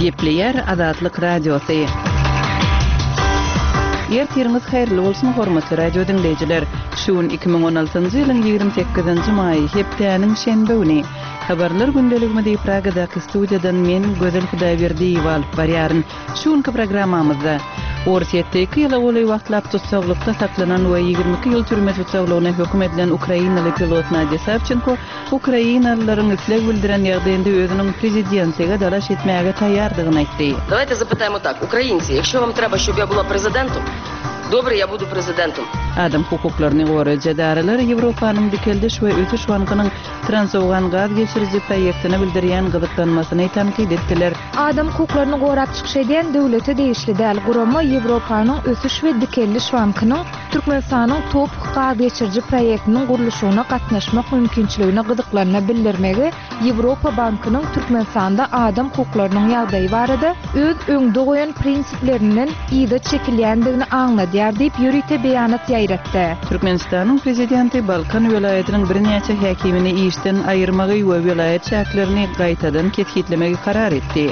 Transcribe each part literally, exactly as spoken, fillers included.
Gepleýär Azatlyk Radiosy. Ertiriňiz haýyrly bolsun, hormatly radio diňleýjiler! Şu gün iki müň on altynjy ýylyň ýigrimi sekizinji maýy, hepdäniň şenbe güni. Habarlar gündeligimizi Pragadaky studiýadan men, Gözel Hudaýberdiýewa alyp barýaryn. Şu günki programmamyzda, Orsýetde iki ýyla golaý wagtlap tussaglykda saklanan we ýigrimi iki ýyl türme tussaglygyna höküm edilen ukrainaly pilot Nadýa Sawçenko ukrainalylaryň isleg bildiren ýagdaýynda özüniň prezidentlige dalaş etmäge taýýardygyny aýtdy. Давайте запитаємо так, Українці, якщо вам треба, щоб я була президентом, добре, я буду президентом. Adam hukuklaryny goraýjy edaralar Ýewropanyň Dikeldiş we ösüş bankynyň Transowgan gaz geçiriji proýektine bildirýän gyzyklanmasyny tankyt etdiler. Adam hukuklaryny gorap çykyş edýän döwlete degişli däl gurama Ýewropanyň Ösüş we Dikeldiş bankynyň Türkmenistanyň TOPH gaz geçiriji proýektiniň gurluşygyna gatnaşmak mümkinçiligine gyzyklanma bildirmegi Ýewropa bankynyň Türkmenistanda adam hukuklarynyň ýagdaýy barada öz öňde goýan prinsiplerinden yza çekilýändigini aňladýar diýip ýörite beýanat ýaýratdy. Türkmenistanyň prezidenti Balkan welaýatynyň birnäçe häkimini işden aýyrmagy we welaýat çäklerini gaýtadan kesgitlemegi karar etdi.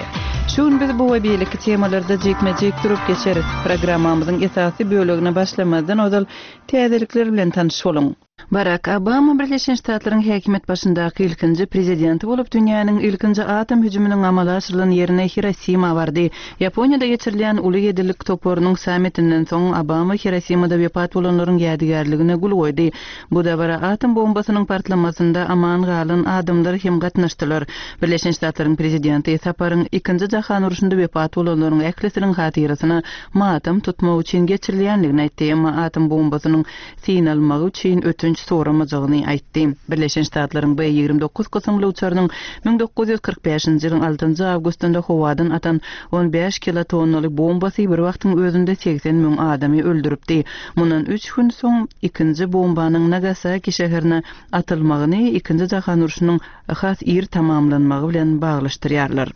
Şu gün biz bu we beýleki temalarda jikme-jik durup geçeris. Programmamyzyň esasy bölegine başlamazdan ozal täzelikler bilen tanyş boluň. Barak Obama Birleşen Ştatlaryň häkimiýet başyndaky ilkinji prezidenti bolup dünýäniň ilkinji atom hüjüminiň amala aşyrylan ýerine Hirosima bardy. Ýaponiýada geçirilýän Uly ýedilik toparynyň sammitinden soň Obama Hirosimada wepat bolanlaryň ýadygärligine gül goýdy. Bu dabara atom bombasynyň partlamasynda aman galan adamlar hem gatnaşdylar. Birleşen Ştatlaryň prezidenti saparyň ikinji jahan urşunda wepat bolanlaryň ählisiniň hatyrasyna matam tutmak üçin geçirilýändigini aýtdy. Emma atom bombasynyň synalmagy üçin ötünç soramajagyny aýtdy. Birleşen Ştatlaryň B ýigrimi dokuz kysymly uçarynyň müň dokuz ýüz kyrk bäşinji ýylyň altynjy awgustynda howadan atan on bäş kilotonnaly bombasy bir wagtyň özünde segsen müň adamy öldüripdi. Mundan üç gün soň ikinji bombanyň Nagasaki şäherine atylmagyny ikinji jahan urşunyň has ir tamamlanmagy bilen baglaşdyrýarlar.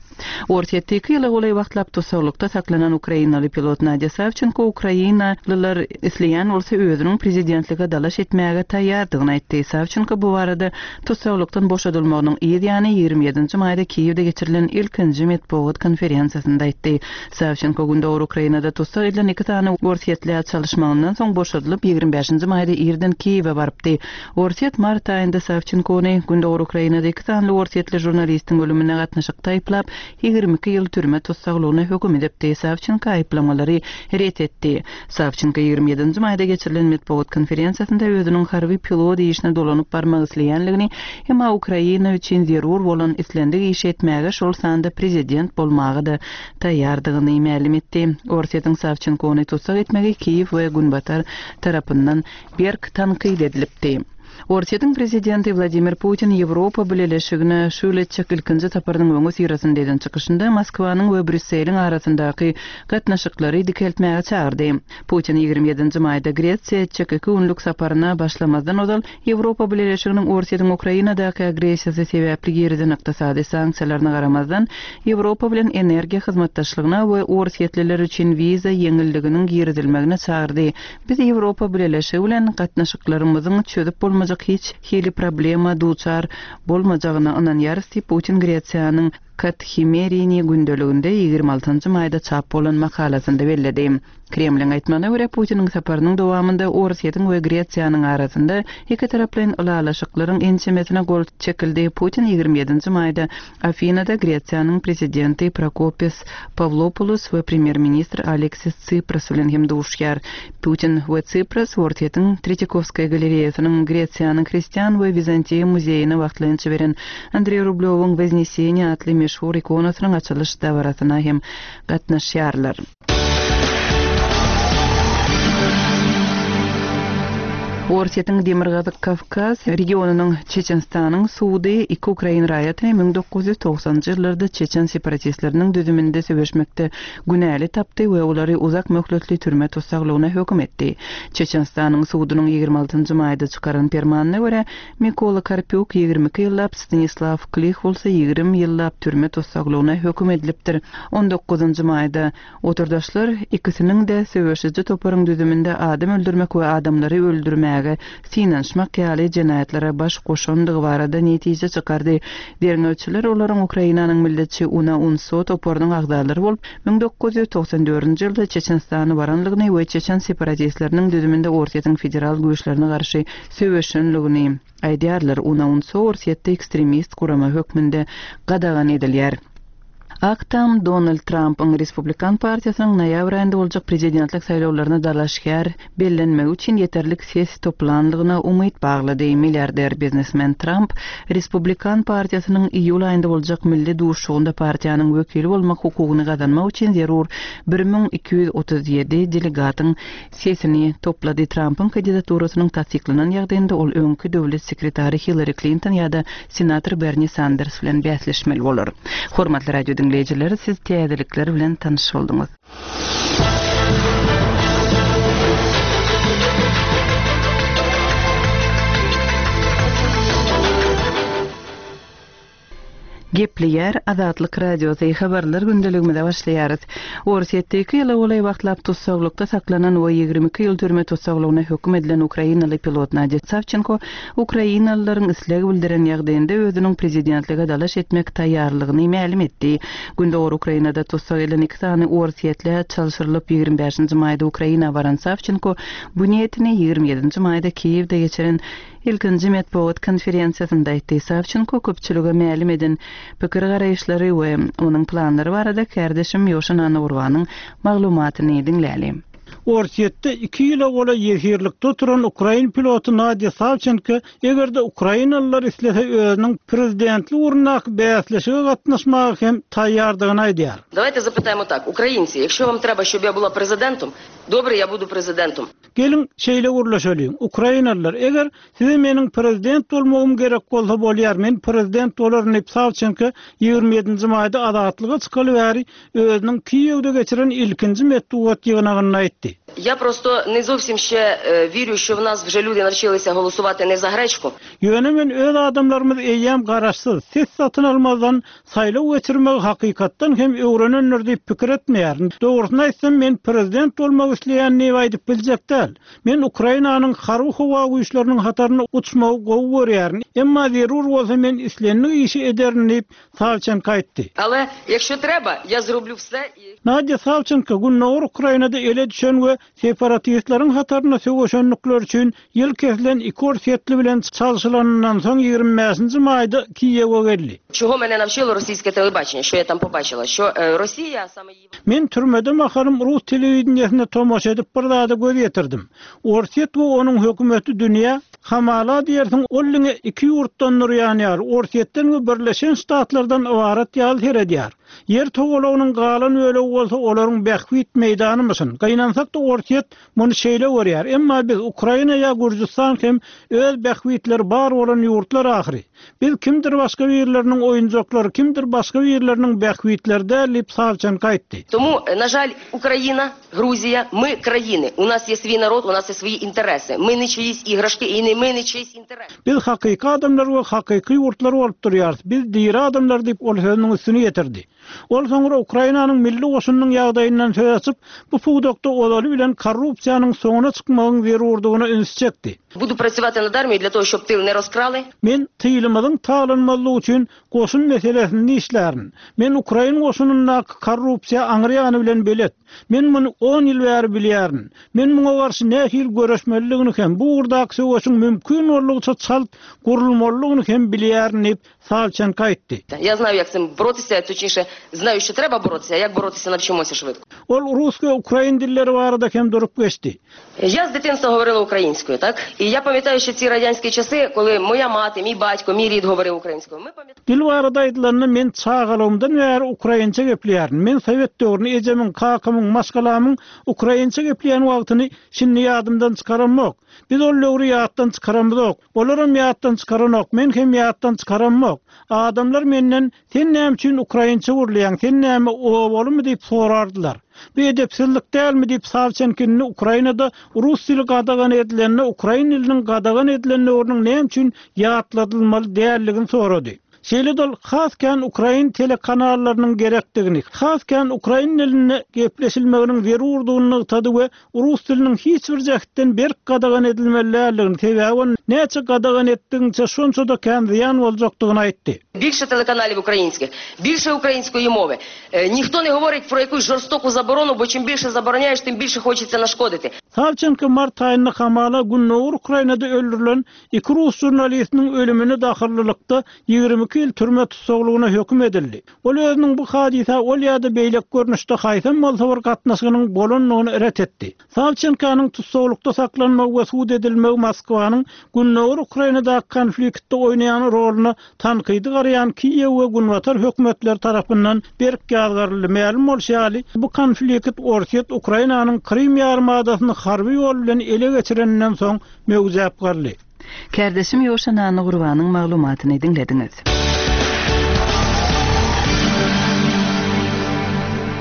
Orsýetde iki ýyla golaý wagtlap tussaglykda saklanan ukrainaly pilot Nadýa Sawçenko ukrainalylar isleýän bolsa özüniň prezidentlige dalaş etmäge taýýardygyny aýtdy. Sawçenko bu barada tussaglykdan boşadylmagynyň yz ýany ýigrimi ýedinji maýda Kiýewde geçirilen ilkinji metbugat konferensiýasynda aýtdy. Sawçenko Gündogar Ukrainada tussag edilen iki sany orsýetli çalyşmagyndan soň boşadylyp ýigrimi bäşinji maýda irden Kiýewe barypdy. Orsýet mart aýynda Sawçenkony Gündogar Ukrainada iki sany orsýetli žurnalistiň ölümine gatnaşyk taýyplap ýigrimi iki ýyl türme tussaglygyna höküm edipdi. Sawçenko aýyplamalary ret etdi. Sawçenko ýigrimi ýedinji maýda geçirilen metbugat konferensiýasynda özüniň harby pilot işine dolanyp barmak isleýänligini, emma Ukraina üçin zerur bolan islendik iş etmäge şol sanda prezident bolmaga da taýýardygyny mälim etdi. Orsýetiň Sawçenkony tussag etmegi Kiýew we Günbatar tarapyndan berk tankyt edilipdi. Orsýetiň prezidenti Wladimir Putin Ýewropa Bileleşigine şu ýyl etjek ilkinji saparynyň öňi syrasynda eden çykyşynda Moskwanyň we Brýusseliň arasyndaky gatnaşyklary dikeltmäge çagyrdy. Putin ýigrimi ýedinji maýda Gresiýa etjek iki günlük saparyna başlamazdan ozal Ýewropa Bileleşiginiň Orsýetiň Ukrainadaky agressiýasy sebäpli girizen ykdysady sanksiýalaryna garamazdan Ýewropa bilen energiýa hyzmatdaşlygyna we orsýetliler üçin wiza ýeňilliginiň girizilmegine çagyrdy. Biz Ýewropa Bileleşigi bilen gatnaşyklarymyzyň çözüp bolmajak hiç hili problema duçar bolmajagyna ynanýarys diýip Putin Gresiýanyň Kathimerini gündeliginde ýigrimi altynjy maýda çap bolan makalasynda belledi. Kremliň aýtmagyna görä Putiniň saparynyň dowamynda Orsýetiň we Gresiýanyň arasynda iki taraplaýyn ylalaşyklaryň ençemesine gol çekildi. Putin ýigrimi ýedinji maýda Afinada Gresiýanyň prezidenti Prokopis Pawlopoulos we premýer-ministr Aleksis Tsipras bilen hem duşýar. Putin we Tsipras Orsýetiň Tretýakovskaya galereýasynyň Gresiýanyň Hristian we Wizantiýa muzeýine wagtlaýynça beren Andrei Rublewyň Wozneseniýa atly meşhur ikonasynyň açylyş dabarasyna hem gatnaşýarlar. Orsýetiň Demirgazyk Kawkaz regionynyň Çeçenistanyň sudy iki ukrain raýatyny müň dokuz ýüz togsanjy ýyllarda Çeçen separatistleriniň düzüminde söweşmekde günäli tapdy we olary uzak möhletli türme tussaglygyna höküm etdi. Çeçenistanyň sudunyň ýigrimi altynjy maýda çykaran permanyna görä Mikola Karpýuk ýigrimi iki ýyllap, Stanislav Klih bolsa ýigrimi ýyllap türme tussaglygyna höküm edilipdir. On dokuzynjy maýda oturdaşlar ikisiniň de söweşiji toparyň düzüminde adam öldürmek we adamlary öldürmäge etmäge synanyşmak ýaly jenaýatlara baş goşandygy barada netije çykardy. Derňewçiler olaryň Ukrainanyň milletçi UNA UNSO toparynyň agzalary bolup, müň dokuz ýüz togsan dördünji ýylda Çeçenistana baranlygyny we çeçen separatistleriniň düzüminde Orsýetiň federal güýçlerine garşy söweşenligini aýdýarlar. UNA UNSO Orsýetde ekstremist gurama hökmünde gadagan edilýär. Ak Tam Donald Trumpyň Respublikan partiýasynyň noýabr aýynda boljak prezidentlik saýlawlaryna dalaşgär bellenmegi üçin ýeterlik ses toplanlygyna umyt baglady. Milliarder biznesmen Trump Respublikan partiýasynyň iýul aýynda boljak milli duşuşygynda partiýanyň wekili bolmak hukugyny gazanmak üçin zerur bir müň iki ýüz otuz ýedi delegatyň sesini toplady. Trumpyň kandidaturasynyň tassyklanan ýagdaýynda ol öňki döwlet sekretary Hillary Clinton ýa-da senator Bernie Sanders bilen bäsleşmeli bolar. Hormatly radio diňleýjiler, siz täzelikler bilen tanyş bolduňyz. Gepleýär Azatlyk Radiosy habarlar gündeligimize başlaýarys. Orsýetde iki ýyla golaý wagtlap tussaglykda saklanan we ýigrimi iki ýyl türme tussaglygyna höküm edilen ukrainaly pilot Nadýa Sawçenko ukrainalylaryň isleg bildiren ýagdaýynda özüniň prezidentlige dalaş etmek taýýarlygyny mälim etdi. Gündogar Ukrainada tussag edilen iki sany Orsýetle çalşyrylyp ýigrimi bäşinji maýda Ukraina baran Sawçenko bu niýetini ýigrimi ýedinji maýda Kiýewde geçiren ilkinji metbugat konferensiýasynda aýtdy. Sawçenko köpçülige mälim eden pikir garaýyşlary we onuň planlary barada kärdeşim Ýoşan Annagurbanyň maglumatyny diňläli. Orsýetde iki ýyla golaý ýesirlikde oturan ukrain piloty Nadýa Sawçenko eger-de ukrainalylar islese özüniň prezidentlik ugrundaky bäsleşige gatnaşmaga hem taýýardygyny aýdýar. Давайте запитаємо так. Українці, якщо вам треба, щоб я була президентом, добре, я буду президентом. Gelin şeýle gürleşeliň. Ukrainalylar, eger size meniň prezident bolmagym gerek bolsa bolýar, men prezident bolaryn diýip Sawçenko ýigrimi ýedinji maýda azatlyga çykaly bäri özüniň Kiýewde geçiren ilkinji metbugat ýygnagynda aýtdy. Я просто не зовсім ще, е, вірю, що в нас вже люди навчилися голосувати не за гречку. Ýöne men öz adamlarymyz eýýäm garaşsyz, ses satyn almazdan saýlaw geçirmegi hakykatdan hem öwrenenler diýip pikir etmeýärin. Dogrusyny aýtsam, men prezident bolmak isleýän näme aýdyp biljek däl. Men Ukrainanyň harby howa güýçleriniň hataryny uçmagy gowy görýärin. Emma zerur bolsa men islendik işi ederin diýip Sawçenko aýtdy. Але якщо треба, я зроблю все і Nadýa Sawçenko Gündogar Ukrainada ele düşen we separatistleriň hataryna söweşenlikler üçin ýyl kesilen iki orsýetli bilen çalşylanyndan soň ýigrimi bäşinji maýda Kiýewe geldi. Чого мене навчило російське телебачення, що я там побачила, що, е, Росія саме її Men türmede mahalym rus telewideniýesine tomaşa edip bir zada göz ýetirdim. Orsýet we onuň hökümeti dünýä hamala diýersiň ollyňa iki ýurtdan durýan ýar, Orsýetden we Birleşen Ştatlardan ybarat ýaly seredýär. Ýer togalagynyň galan bölegi bolsa olaryň bähbit meýdanymyşyn. Gaýnansak da Orsýet muny şeýle görýär. Emma biz Ukraina ýa Gürjüstan hem öz bähbitleri bar bolan ýurtlar ahyry. Biz kimdir başga birleriniň oýunjaklary, kimdir başga birleriniň bähbitleri däl diýip Sawçenko aýtdy. Тому, на жаль, Україна, Грузія, ми країни. У нас є свій народ, у нас є свої інтереси. Ми не чиїсь іграшки і не ми не чиїсь інтереси. Biz hakyky adamlar we hakyky ýurtlar bolup durýarys. Biz diri adamlar diýip ol sözüniň üstüni ýetirdi. Ol soňra Ukrainanyň milli goşunynyň ýagdaýyndan söz açyp, bu pudakda ozaly bilen korrupsiýanyň soňuna çykmagyň zerurdygyna üns çekdi. Буду працювати над армією для того, щоб тил не розкрали. Men tylymyzyň taglanmazlygy üçin goşun meselesini işlärin. Men Ukrain goşunyndaky korrupsiýa aňryýany bilen belet. Men muny on ýyl bäri bilýärin. Men muňa garşy nähili görüşmeliligini hem bu ugurdaky söweşiň mümkin boldugyça çalt gurulmalygyny hem bilýärin diýip Sawçenko aýtdy. Я знаю, як цим боротися, точніше, знаю, що треба боротися, а як боротися навчимося швидко. Ol rus we ukrain dilleri barada hem durup geçdi. Я з дитинства говорила українською, так? І я пам'ятаю ще ці радянські часи, коли моя мати, мій батько, мій рід говорив українською. Ми пам'ятаємо. Dil barada aýdylanny men çagalygymdan bäri ukrainçe gepleýärin. Men Sowet döwrüni ejemiň, kakamyň, maşgalamyň ukrainçe gepleýän wagtyny şindi ýadymdan çykaramok. Biz ol döwri ýatdan çykaramyzok. Olaram ýatdan çykaranok, men hem ýatdan çykaramok. Adamlar menden sen näme üçin ukrainçe gurlaýaň, sen näme owalymy diýip sorardylar. Bu edepsizlik dälmi diýip Sawçenkini Ukrainada rus dili gadagan edilenine, ukrain diliniň gadagan edilenine onuň näme üçin ýatladylmaly dälligini sorady. Şeýle-de ol has kän ukrain telekanallarynyň gerekdigini, has kän ukrain dilinde gepleşilmeginiň zerurdygyny nygtady we rus diliniň hiç bir jähtden berk gadagan edilmelidigini, sebäbi näçe gadagan etdigiňçe şonça-da kän zyýan boljakdygyny aýtdy. Більше телеканалів українських, більше української мови. Е, Ніхто не говорить про якусь жорстоку заборону, бо чим більше забороняєш, тим більше хочеться нашкодити. Savçenko mart aýynda hamala Gündogar Ukrainada öldürilen iki rus jurnalistiniň ölümine dahyllylykda ýigrimi iki ýyl türme tussaglygyna höküm edildi. Ol özüniň bu hadysa ol ýa-da beýleki görnüşde haýsam bolsa bir gatnaşygynyň bolandygyny ret etdi. Savçenkonyň tussaglykda saklanmagy we sud edilmegi Moskwanyň Gündogar Ukrainadaky konfliktde oýnaýan roluna tankydy garaýan Kiýew we Günbatar hökümetleri tarapyndan berk ýazgaryldy. Mälim bolşy ýaly, bu konflikt Orsýet Ukrainanyň Krym ýarymadasyny harby ýol bilen ele geçireninden soň möwjäp galdy. Kärdeşim Ýoşan Annagurbanyň maglumatyny diňlediňiz.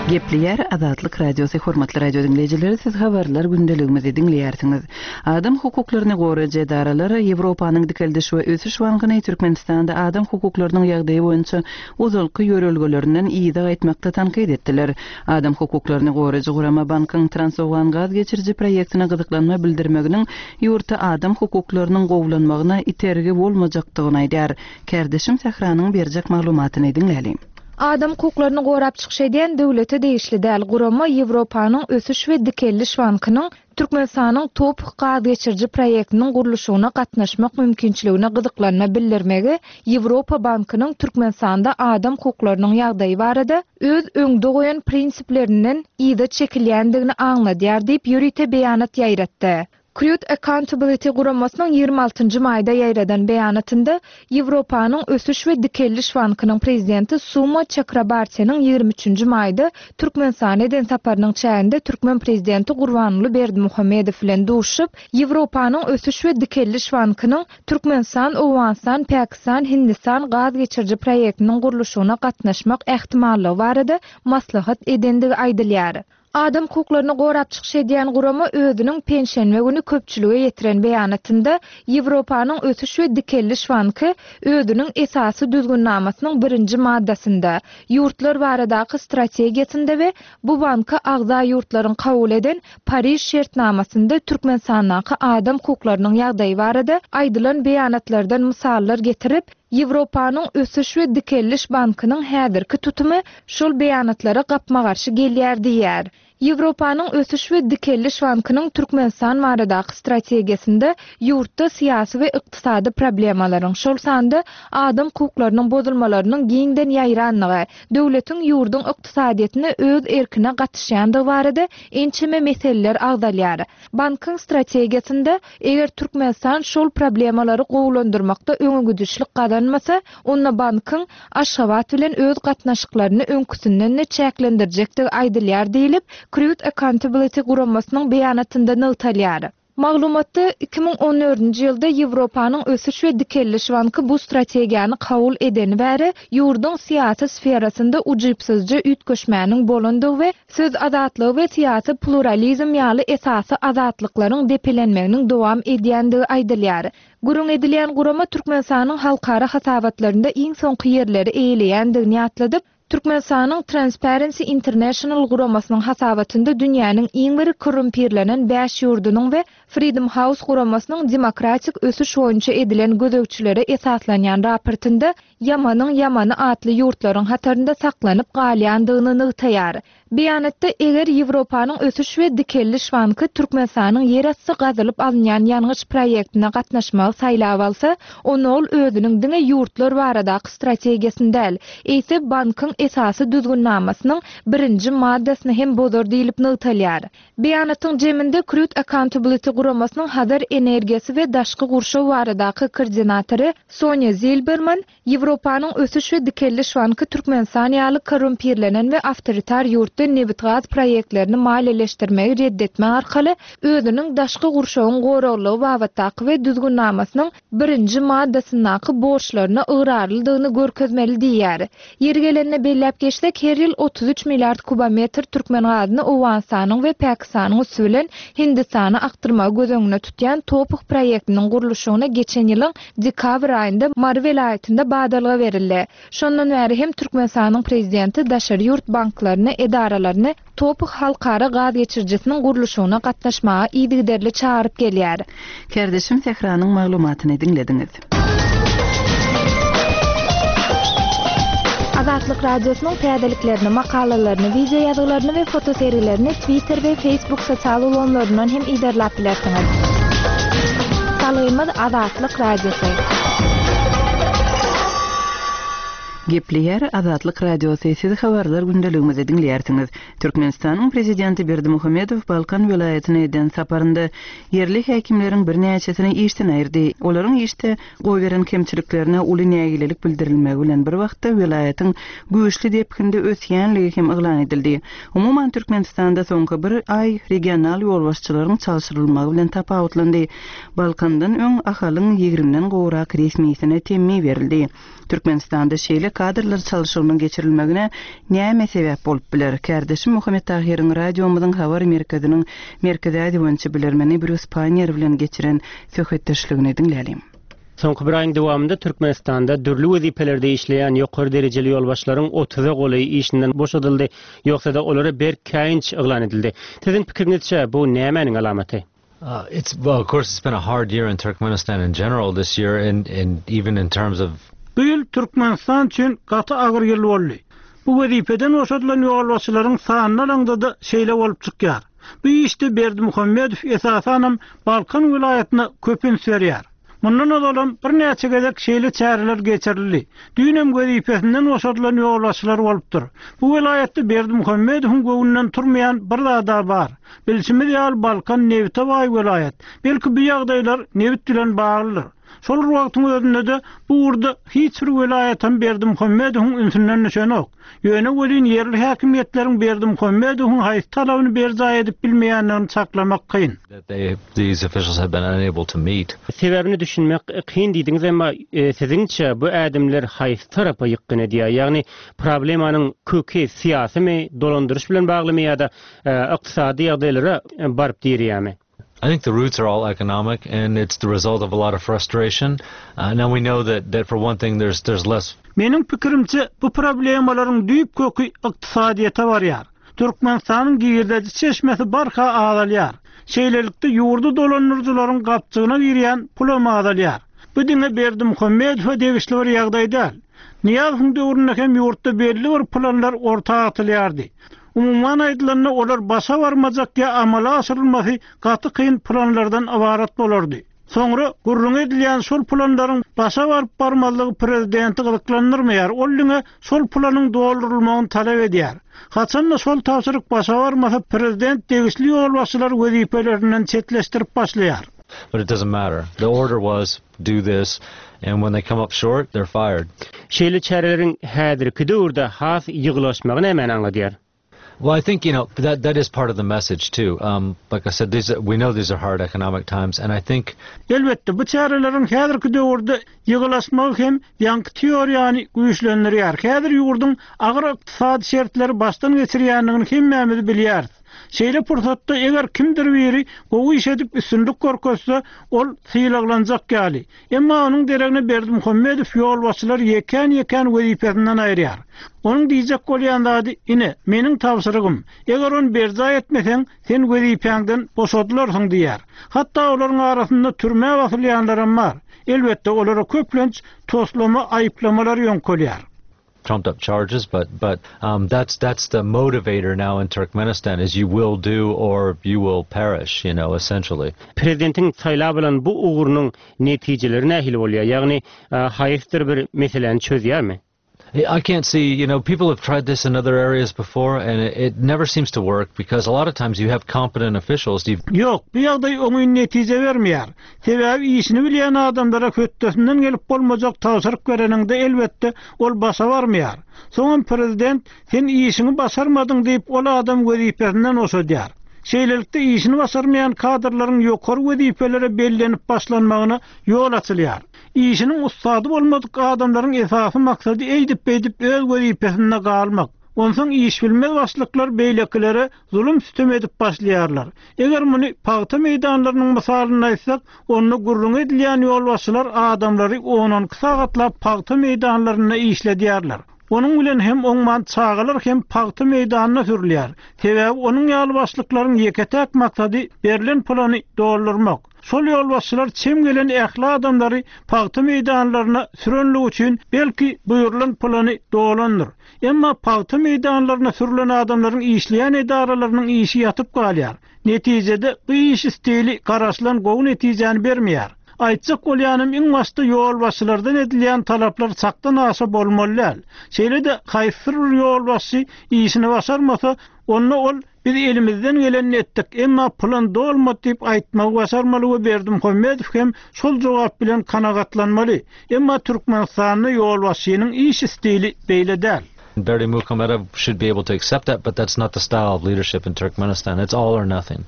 Gepleýär Azatlyk Radiosy hormatly radio diňleýjileri, siz habarlar gündeligimizi diňleýärsiňiz. Adam hukuklaryny goraýjy edaralar Ýewropanyň Dikeldiş we Ösüş Bankyny Türkmenistanda adam hukuklarynyň ýagdaýy boýunça ozalky ýörelgelerinden yza gaýtmakda tankyt etdiler. Adam hukuklaryny goraýjy gurama bankyň Transowgan gaz geçiriji proýektine gyzyklanma bildirmeginiň ýurtda adam hukuklarynyň gowulanmagyna itergi bolmajakdygyny aýdar. Kärdeşim Sähranyň berjek maglumatyny diňläliň. Adam hukuklaryny gorap çykyş edýän döwlete degişli däl gurama Ýewropanyň Ösüş we Dikeldiş Bankynyň Türkmenistanyň TOPH gaz geçiriji proýektiniň gurluşygyna gatnaşmak mümkinçiligine gyzyklanma bildirmegi Ýewropa Bankynyň Türkmenistanda adam hukuklarynyň ýagdaýy barada öz öňde goýan prinsiplerinden yza çekilýändigini aňladýar diýip ýörite beýanat ýaýratdy. Crude Accountability guramasynyň ýigrimi altynjy maýda ýaýradan beýanatynda Ýewropanyň Ösüş we Dikeldiş Bankynyň prezidenti Suma Çakrabartynyň ýigrimi üçünji maýda Türkmenistana eden saparynyň çäginde Türkmen prezidenti Gurbanguly Berdimuhamedow bilen duşup, Ýewropanyň Ösüş we Dikeldiş Bankynyň Türkmenistan, Owganystan, Pakistan, Hindistan gaz geçiriji proýektiniň gurluşygyna gatnaşmak ähtimallygy barada maslahat edendigi aýdylýar. Adam hukuklaryny gorap çykyş edýän gurama özüniň penşenbe güni köpçülige ýetiren beýanatynda Ýewropanyň Ösüş we Dikeldiş Banky özüniň esasy düzgünnamasynyň birinji maddasynda, ýurtlar baradaky strategiýasynda we bu banka agza ýurtlaryň kabul eden Pariž şertnamasynda Türkmenistandaky adam hukuklarynyň ýagdaýy barada aýdylan beýanatlardan mysallar getirip, Ýewropanyň Ösüş we Dikeldiş Bankynyň häzirki tutumy şol beýanatlara gapma-garşy gelýär diýär. Ýewropanyň Ösüş we Dikeldiş Bankynyň Türkmenistan baradaky strategiýasynda ýurtda syýasy we ykdysady problemalaryň, şol sanda adam hukuklarynyň bozulmalarynyň giňden ýaýranlygy, döwletiň ýurduň ykdysadyýetine öz erkine gatyşýandygy barada ençeme meseleler agzalýar. Bankyň strategiýasynda eger Türkmenistan şol problemalary gowulandyrmakda öňegidişlik gazanmasa, onda bankyň Aşgabat bilen öz gatnaşyklaryny öňküsinden çäklendirjekdigi aýdylýar diýilip, Crude Accountability guramasynyň beýanatynda nygtalýar. Maglumatda iki müň on dördünji ýylda Ýewropanyň Ösüş we Dikeldiş Banky bu strategiýany kabul edeni bäri ýurduň syýasy sferasynda ujypsyzja üýtgeşmäniň bolandygy we söz azatlygy we syýasy pluralizm ýaly esasy azatlyklaryň depelenmeginiň dowam edýändigi aýdylýar. Gürrüň edilýän gurama Türkmenistanyň halkara hasabatlarynda iň soňky ýerleri eýeleýändigini ýatladyp, Türkmenistanyň Transparency International guramasynyň hasabatynda dünýäniň iň bir korrumpirlenen bäş ýurdunyň we Freedom House guramasynyň demokratik ösüş boýunça edilen gözegçilere esaslanýan raportynda Ýamanyň Ýamany atly ýurtlaryň hatarynda saklanyp galýandygyny nygtaýar. Beýanatda eger Ýewropanyň Ösüş we Dikeldiş Banky Türkmenistanyň ýerasty gazylyp alynýan ýangyç proýektine gatnaşmagy saýlap alsa, onda ol özüniň diňe ýurtlar baradaky strategiýasyny däl, eýse bankyň esasy düzgünnamasynyň birinji maddasyny hem bozar diýilip nygtalýar. Beýanatyň jeminde Crude Accountability guramasynyň Hazar energiýasy we daşky gurşaw baradaky koordinatory Sonja Zilberman Ýewropanyň Ösüş we Dikeldiş Banky Türkmenistan ýaly korrumpirlenen we awtoritar ýurtda nebit-gaz proýektlerini maliýeleşdirmegi reddetme arkaly özüniň daşky gurşawyň goraglygy babatdaky we düzgünnamasynyň birinji maddasyndaky borçlaryna ygrarlydygyny görkezmeli diýýär. Ýeri gelende belläp geçsek, her ýyl otuz üç milliard kubometr türkmen gazyny Owganystanyň we Pakistanyň üsti bilen Hindistana akdyrmagy göz öňüne tutýan TOPH proýektiniň gurluşygyna geçen ýylyň dekabr aýynda Mary welaýatynda badalga berildi. Şondan bäri hem Türkmenistanyň prezidenti daşary ýurt banklaryny, edaralaryny TOPH halkara gaz geçirijisiniň gurluşygyna gatnaşmaga yzygiderli çagyryp gelýär. Kärdeşim Sähranyň maglumatyny diňlediňiz. Azatlyk Radiosynyň täzeliklerini, makalalaryny, wideo ýazgylaryny we fotosergilerini Twitter we Facebook sosial ulgamlaryndan hem yzarlap bilersiňiz. Salgymyz Azatlyk Radiosy. Gepleýär Azatlyk Radiosy, siz habarlar gündeligimizi diňleýärsiňiz. Türkmenistanyň prezidenti Berdimuhamedow Balkan welaýatyna eden saparynda ýerli häkimleriň birnäçesini işden aýyrdy. Olaryň işde goýberen kemçiliklerine uly nägilelik bildirilmegi bilen bir wagtda welaýatyň güýçli depginde ösýänligi hem yglan edildi. Umuman Türkmenistanda soňky bir aý regional ýolbaşçylaryň çalşyrylmagy bilen tapawutlandy. Balkandan öň Ahalyň ýigrimden gowrak resmisine temmi berildi. Türkmenistanda şeýle kadrlar çalşygynyň geçirilmegine näme sebäp bolup biler? Kärdeşim Muhammet Tahyryň radiomyzyň habar merkeziniň Merkezi Aziýa boýunça bilermeni Brýus Pannier bilen geçiren söhbetdeşligini diňlälim. Soňky bir aýyň dowamynda Türkmenistanda dürli wezipelerde işleýän ýokary derejeli ýolbaşçylaryň otuza golaýy işinden boşadyldy, ýogsa-da olara berk käýinç yglan edildi. Siziň pikiriňizçe bu nämäniň alamaty? Uh, it's well, of course, it's been a hard year in Turkmenistan in general this year, and, and even in terms of Bu ýyl Türkmenistan üçin gaty agyr ýyl boldy. Bu wezipeden boşadylan ýolbaşçylaryň sanyny alaňda-da şeýle bolup çykýar. Bu işde Berdimuhamedow esasanam Balkan welaýatyna köp üns berýär. Mundan ozalam birnäçe gezek şeýle çäreler geçirildi. Düýnem wezipesinden boşadylan ýolbaşçylar bolupdyr. Bu welaýatda Berdimuhamedowyň göwnünden turmaýan bir zada bar. Bilşimiz ýaly Balkan nebite baý welaýat. Belki bu ýagdaýlar nebit bilen baglydyr. Şol wagtyň özünde-de bu ugurda hiç bir welaýatam Berdimuhamedowyň ünsünden düşenok. Ýöne welin ýerli häkimiýetleriň Berdimuhamedowyň haýsy talabyny berjaý edip bilmeýändigini çaklamak kyn. that they these officials have been unable to meet. Sebäbini düşünmek kyn diýdiňiz, emma e, siziňçe bu ädimler haýsy tarapa ýykgyn edýär? Ýagny problemanyň köki syýasymy, dolandyryş bilen baglymy ýa-da e, ykdysady ýagdaýlara baryp direýärmi? I think the roots are all economic, and it's the result of a lot of frustration. Uh, now we know that, that for one thing, there's there's less Meniň pikirimçe bu problemalaryň düýp köki ykdysadyýete barýar. Türkmenistanyň girdeji çeşmesi barha azalýar. Şeýlelikde ýurdy dolandyryjylaryň gapjygyna girýän pulam azalýar. Bu diňe Berdimuhamedowa degişli bir ýagdaý däl. Nyýazowyň döwründe hem ýurtda belli bir planlar orta atylýardy. Umuman aýdylanda olar başa barmajak ýa amala aşyrylmasy gaty kyn planlardan ybarat bolardy. Soňra gürrüň edilýän şol planlaryň başa baryp barmazlygy prezidenti gyzyklandyrmaýar. Ol diňe şol planyň doldurylmagyny talap edýär. Haçanda şol tabşyryk başa barmasa prezident degişli ýolbaşçylar wezipelerinden çetleşdirip başlaýar. But it doesn't matter. The order was do this, and when they come up short, they're fired. Şeýle çäreleriň häzirki döwürde has ýygylaşmagy nämäni aňladýar? Well, I think you know that that is part of the message too. Um, like I said, these are, we know these are hard economic times, and I think Elbetde bu çäreleriň häzirki döwürde ýygylaşmagy hem ýaňky teoriýany güýçlendirýär. Häzir ýurduň agyr ykdysady şertleri başdan geçirýändigini hemmämiz bilýäris. Şeýle pursatda eger kimdir biri gowy iş edip üstünlik görkezse, ol sylaglanjak ýaly. Emma onuň deregine Berdimuhamedow ýolbaşçylar ýekän-ýekän wezipesinden aýyrýar. Onuň diýjek bolýan zady, ine, meniň tabşyrygym. Eger ony berjaý etmeseň, sen wezipäňden boşadylarsyň diýär. Hatda olaryň arasynda türmä basylýanlar hem bar. Elbetde olara köplenç toslama aýyplamalar ýöňkelýär. trumped up charges, but but um, that's that's the motivator now in Turkmenistan is you will do or you will perish, you know, essentially. Prezidentiň saýlap alan bu ugrunyň netijeleri nähili bolýar? Ýagny e, haýsydyr bir meseläni çözýärmi? I can't see, you know, people have tried this in other areas before and it, it never seems to work because a lot of times you have competent officials. You've Ýok, bu ýagdaý oňyn netije bermeýär. Sebäbi işini bilýän adamlara hötdesinden gelip bolmajak tabşyryk bereniňde elbetde ol başa barmaýar. Soňam prezident sen işiňi başarmadyň diýip ol adam wezipesinden boşadýar. Şeýlelikde işini başarmaýan kadrlaryň ýokary wezipelere bellenip başlanmagyna ýol açylýar. Işiniň ussady bolmadyk adamlaryň esasy maksady eýdip beýdip öz wezipesinde galmak. Onsoň iş bilmez başlyklar beýlekilere zulum sütem edip başlaýarlar. Eger muny pagta meýdanlarynyň mysalynda aýtsak, onda gürrüň edilýän ýolbaşçylar adamlary on on iki sagatlap pagta meýdanlarynda işledýärler. Onuň bilen hem oňman çagalar hem pagta meýdanyna sürülýär. Sebäbi onuň ýaly başlyklaryň ýeke-täk maksady berlen plany doldurmak. Şol ýolbaşçylar çem gelen ähli adamlary pagta meýdanlaryna sürenlik üçin belki buýrulan plany dolandyr. Emma pagta meýdanlaryna sürülen adamlaryň işleýän edaralarynyň işi ýatyp galýar. Netijede bu iş stili garaşylan gowy netijäni bermeýär. Aýtjak bolýanym iň başda ýolbaşçylardan edilýän talaplar çakdan aşa bolmaly däl. Şeýle-de haýsy bir ýolbaşçy işini başarmasa, onda ol biz elimizden gelenini etdik, emma plan dolmady diýip aýtmagy başarmaly we Berdimuhamedow hem şol jogap bilen kanagatlanmaly. Emma Türkmenistanda ýolbaşçynyň iş stili beýle däl. Berdimuhamedow should be able to accept that, but that's not the style of leadership in Turkmenistan. It's all or nothing.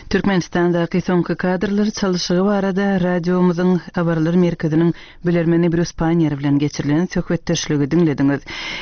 Türkmenistandaky soňky kadrlar çalyşygy barada radiomyzyň habarlar merkeziniň bilermeni Brýus Paýner bilen geçirilen söhbetdeşligi diňlediňiz.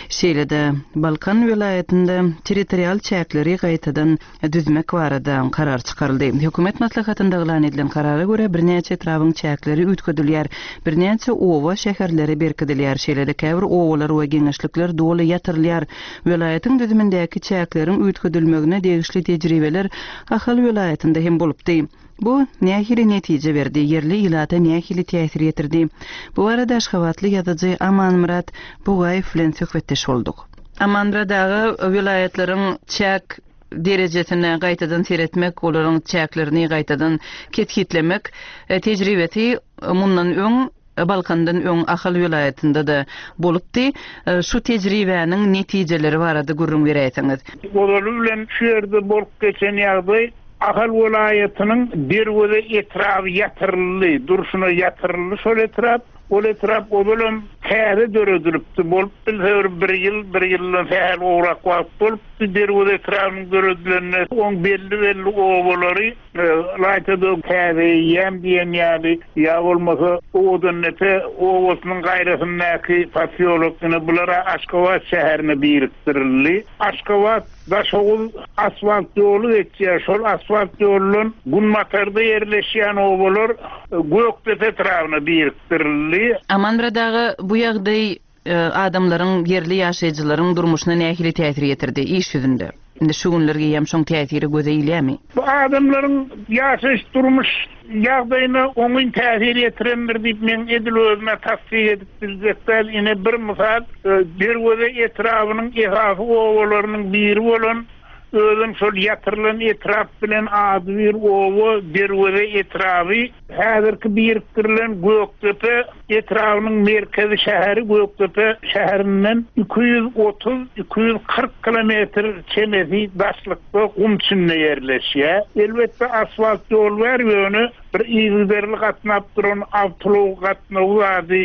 Şeýle-de Balkan welaýatynda territorial çäkleri gaýtadan düzmek barada karar çykaryldy. Hökümet maslahatynda yglan edilen karara görä birnäçe etrabyň çäkleri üýtgedilýär, birnäçe oba şäherleri berkidilýär. Şeýle-de käbir obalar we geňeşlikler doly ýatyrylýar. Welaýatyň düzümindäki çäkleriň üýtgedilmegine degişli tejribeler Ahal welaýatynda hem bolupdy. Bu nähili netije berdi, ýerli ilata nähili täsir ýetirdi? Bu arada Aşgabatly ýazyjy Amanmyrat Bugaýew bilen söhbetdeş bolduk. Amanmyrat aga, welaýatlaryň çäk derejesine gaýtadan seretmek, olaryň çäklerini gaýtadan kesgitlemek, e, tejribesi mundan öň Balkandan öň Ahal welaýatynda da bolupdy. E, şu tejribäniň netijeleri barada gürrüň beräýseňiz. Ozaly bilen şu ýerde bolup geçen ýagdaý Ahal welaýatynyň Derweze etraby ýatyryldy, durşuna ýatyryldy şol etrap. Ol etrap ozalam täze döredilipdi. Bolup bilse bir, bir ýyl, bir ýyldan sähel gowrak wagt bolupdy Derweze etrabynyň döredilenine. Oň belli-belli obalary, e, Laýtada täze eýýäm diýen ýaly, ýa bolmasa Owadandepe obasynyň gaýrasyndaky posýolok ýene bulara Aşgabat şäherine birikdirildi. Aşgabat Daşoguz asfalt ýoly geçýär. Şol asfalt ýolundan Günbatarda ýerleşýän obalar, e, Gökdepe etrabyna birikdirildi. Amanmyrat aga, bu ýagdaý, e, adamlaryň, ýerli ýaşaýjylaryň durmuşyna nähili täsir ýetirdi iş ýüzünde? Indi şu günler geýem şoň täsiri göze ilýärmi? Bu adamlaryň ýaşaýyş durmuş ýagdaýyna oňyn täsir ýetirendir diýip men edil özüme tassyk edip biljek däl. Ine bir mysal, e, Derweze etrabynyň esasy obalarynyň biri bolan özüm şol ýatyrylan etrap bilen ady bir oba Derweze etraby häzirki birikdirilen Gökdepe etrabynyň merkezi şäheri Gökdepe şäherinden iki ýüz otuz, iki ýüz kyrk kilometr çemesi daşlykda gum içinde ýerleşýär. Elbetde asfalt ýol bar, ýöne bir yzygiderli gatnap duran awtoulag gatnawy ady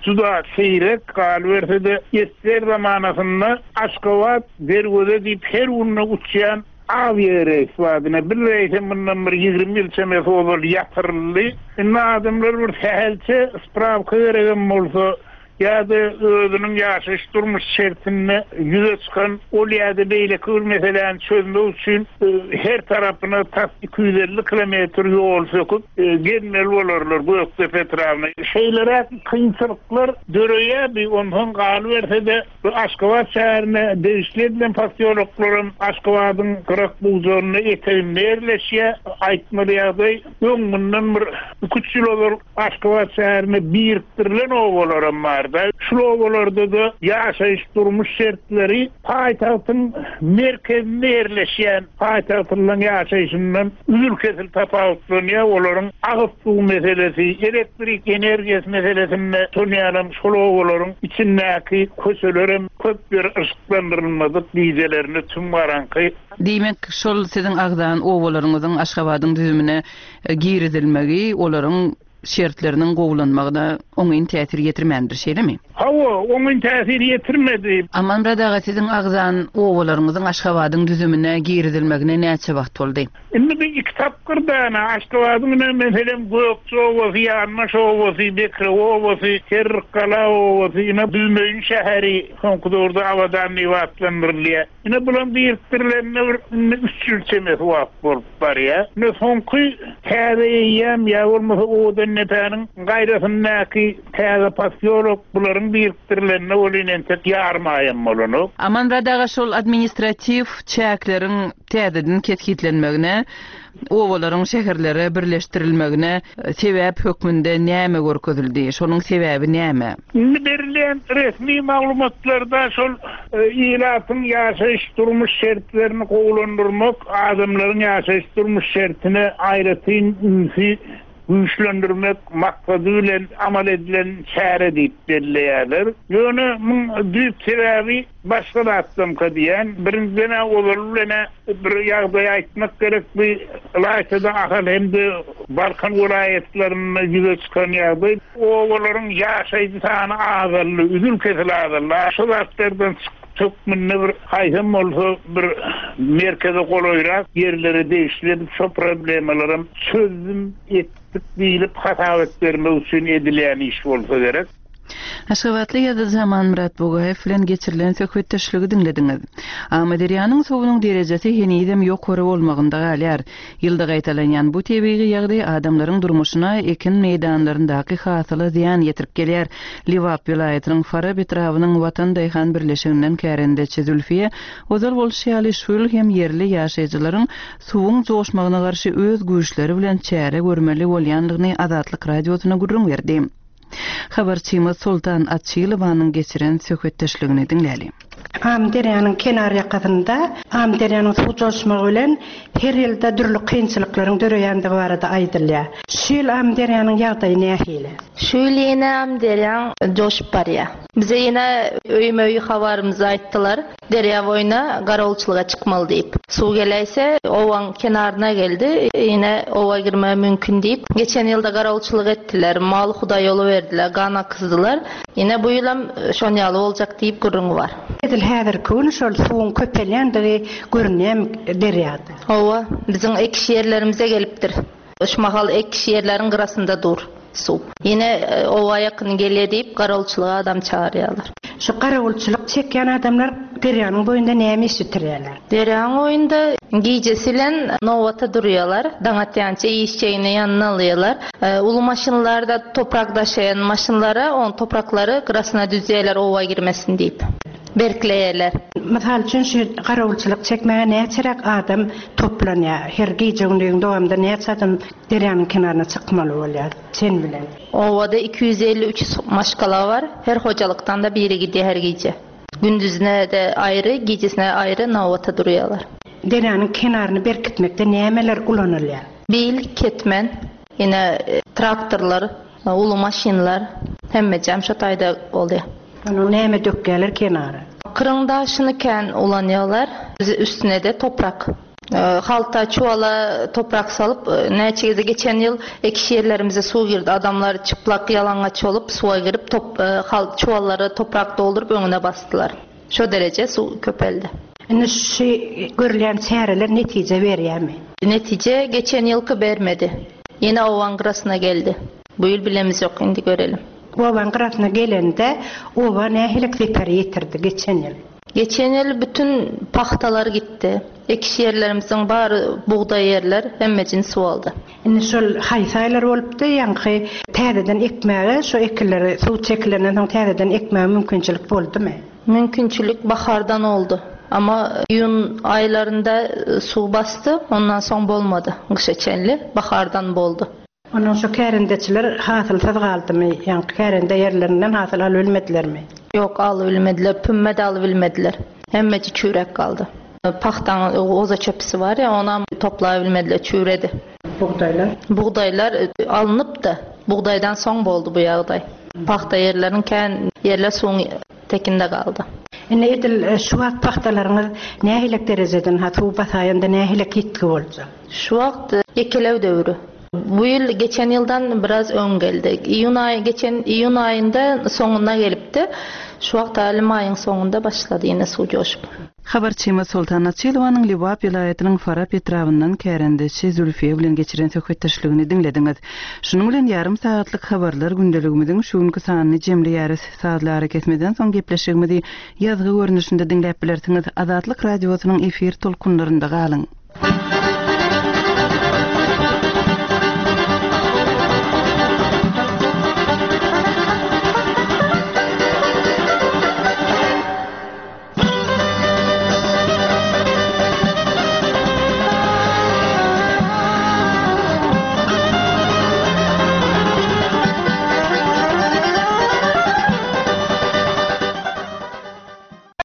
juda seýrek galyberse-de esger zamanasynda Aşgabat Derweze diýip her günde uçýan awiýa reýs bardy. Bir reýse mundan bir ýigrimi ýyl çemesi ozal ýatyryldy. Indi adamlar bir sähelçe spravka geregem bolsa ýa-da özüniň ýaşaýyş durmuş şertinde ýüze çykan ol ýa-da beýleki bir meseläni çözmek üçin, e, her tarapyna tas iki ýüz elli kilometr ýol söküp, e, gelmeli bolarlar Gökdepe etrabyna. Şeýleräk kynçylyklar döreýär, bir ondan galyberse-de bu Aşgabat şäherine degişli edilen posýoloklaryň Aşgabadyň gyrak buzlaryna eteginde ýerleşýär. Aýtmaly ýagdaý, öň mundan bir iki üç ýyl ozal Aşgabat şäherine birikdirilen obalaram bardy. Şul obalarda-da ýaşaýyş durmuş şertleri paýtagtyň merkezinde ýerleşýän paýtagtlaryň ýaşaýşyndan üzül-kesil tapawutlanýar. Olaryň agyz suw meselesi, elektrik energiýasy meselesinde şonýalam şol obalaryň içindäki köçelerem köp ýer yşyklandyrylmadyk, gijelerini tüm garaňky. Diýmek, şol siziň agzan obalaryňyzyň Aşgabadyň düzümine, e, girizilmegi olaryň şertleriniň gowulanmagyna oňyn täsir ýetirmändir, şeýlemi? Hawa, oňyn täsir ýetirmedi. Amanmyrat aga, siziň agzan obalaryňyzyň Aşgabadyň düzümine girizilmegine näçe wagt boldy? Indi bir iki tapgyrda ýa Aşgabadyň ine meselem Gökje obasy, Ýanbaş obasy, Bekrew obasy, Serrikgala obasy, ine Büzmeýin şäheri soňky döwürde Abadan diýip atlandyrylýar. Ine bulan biriktirilenine bir indi üç ýyl çemesi wagt bolup barýar. Ine soňky täze eýýäm ýa bolmasa Owadandepäniň gaýrasyndaky täze posýolok bularyň biriktirilenine welin entek ýarym aýam bolanok. Amanmyrat aga, şol administratiw çäkleriň täzeden kesgitlenmegine, obalaryň şäherlere birleşdirilmegine sebäp hökmünde näme görkezildi? Şonuň sebäbi näme? Indi berilýän resmi maglumatlarda şol ilatyň ýaşaýyş durmuş şertlerini gowulandyrmak, adamlaryň ýaşaýyş durmuş şertine aýratyn ünsi güýçlendirmek maksady bilen amal edilen çäre diýip belleýärler. Ýöne muň düýp sebäbi başga zatdanka diýen, birinjiden ozaly bilen bir ýagdaý aýtmak gerek, bu ylaýtada Ahal hem-de Balkan welaýatlarynda ýüze çykan ýagdaý, obalaryň ýaşaýjy sany azaldy, üzül kesil azaldy. Şu zatlardan hökmünde bir haýsam bolsa bir merkeze golaýrak ýerlere degişli edip şo problemalaram çözüm etdik diýlip hasap bermek üçin edilýän iş bolsa gerek. Aşgabatly ýazyjy Amanmyrat Bugaýew bilen geçirilen söhbetdeşligi diňlediňiz. Amyderýanyň suwunyň derejesi henizem ýokary bolmagynda galýar. Ýylda gaýtalanýan bu tebigy ýagdaý adamlaryň durmuşyna ekin meýdanlaryndaky hasyla zyýan ýetirip gelýär. Lebap welaýatynyň Farap etrabynyň Watan daýhan birleşiginden kärendeçi Zülfiýe ozal bolşy ýaly şu ýyl hem ýerli ýaşaýjylaryň suwuň joşmagyna garşy öz güýçleri bilen çäre görmeli bolýandygyny Azatlyk radiosyna gürrüň berdi. Habarçymyz Sultan Açylowanyň geçiren söhbetdeşligini diňläli. Amyderýanyň kenar ýakasynda Amyderýanyň suw joşmagy bilen her ýylda dürli kynçylyklaryň döreýändigi barada aýdylýar. Şu ýyl Amyderýanyň ýagdaýy nähili? Şu ýyl ýene Amyderýan joşup barýar. Bize ýene öýme-öý habarymyzy aýtdylar. Derýa boýuna garawulçylyga çykmaly diýip. Suw geläýse owaň kenaryna geldi. Ýene owa girme mümkin diýip. Geçen ýylda garawulçylyk etdiler. Mal hudaý ýoly berdiler, gan akyzdylar. Ýene bu ýylam şon ýaly boljak diýip gürrüň bar. Edil häzirki gün şol suwuň köpelýändigi görünýär derýada. Owa, biziň ekiş ýerlerimize gelipdir. Şu mahal ekiş ýerleriň gyrasynda dur suw. Ýene owa ýakyn gelýär diýip garawulçylyga adam çagyrýarlar. Şu garawulçylyk çekýän adamlar derýanyň boýunda näme iş bitirýärler? Derýanyň boýunda gijesi bilen nowata durýarlar. Daň atýança işçeýini ýanyna alýarlar. Uly maşynlarda toprak daşaýan maşynlara on topraklary gyrasyna düzýärler owa girmesin diýip. Berkleýärler. Mysal üçin şu garawulçylyk çekmäge näçeräk adam toplanýar? Her gije gündiziň dowamynda näçe adam derýanyň kenaryna çykmaly bolýar sen bilen? Owada iki ýüz elli üç maşgala bar. Her hojalykdan da biri gidýär her gije. Gündüzine de aýry, gijesine aýry nowata durýarlar. Derýanyň kenaryny berkitmekde nämeler ulanylýar? Bil, ketmen, ýene traktorlar, uly maşynlar hemme jam şo taýda bolýar. Onuň näme dökýärler kenara? Kyryn daşyny kän ulanýarlar. Üstüne de toprak. Halta çuwala toprak salyp, näçe geze geçen ýyl ekiş ýerlerimize suw girdi. Adamlar çıplak ýalangaç bolup suwa girip top, hal, çuwallara toprak dolduryp öňüne basdylar. Şo dereje suw köpeldi. Indi şu görülýän çäreler netije berýärmi? Netije geçen ýylky bermedi. Ýene owaň gyrasyna geldi. Bu ýyl bilemiz ýok, indi görelim. Owaň gyrasyna gelende owa nähili zeper ýetirdi geçen ýyl? Geçen ýyl bütün pahtalar gitdi. Ekiş ýerlerimizin bary bugdaý ýerler hemmejin suw aldy. Indi şol haýsy aýlar bolupdy, ýaňky täzeden ekmäge, şo ekinleri suw çekilenden soň täzeden ekmäge mümkinçilik boldumy? Mümkinçilik bahardan oldu. Ama iýun aýlarynda suw basdy, ondan soň bolmady. Gyşa çenli bahardan boldy. Ondan şo kärendeçiler hasylsyz galdymy? Ýaňky kärende ýerlerinden hasyl alyp bilmedilermi? Ýok, alyp bilmediler, pümme de alyp bilmediler. Hemmeci çüýrek galdy. Pahtaň oza çöpüsi bar ya, ona toplay bilmediler, çüýredi. Bugdaýlar? Bugdaýlar alnyp da, bugdaýdan soň boldy bu ýagdaý. Pahta ýerleriň kän ýerler suwuň tekinde galdy. Indi edil şu wagt pahtalaryňyz nähili derejeden ha suw basaýanda nähili ýitgi boljak? Şu wagt ýekelew döwri. Bu ýyl geçen ýyldan biraz öň geldi. Iýun aýy geçen iýun aýynda soňuna gelipdi. Şu wagt hali maýyň soňunda başlady ýene suw joşup. Habarçymyz Soltan Açylowanyň Lebap welaýatynyň Farap etrabyndan kärendeçi Zülfiýe bilen geçiren söhbetdeşligini diňlediňiz. Şunuň bilen ýarym sagatlyk habarlar gündeligimiziň şu günki sanyny jemleýäris. Sazlary kesmeden soň gepleşigimizi ýazgy görnüşinde diňläp bilersiňiz. Azatlyk radiosynyň efir tolkunlarynda galyň.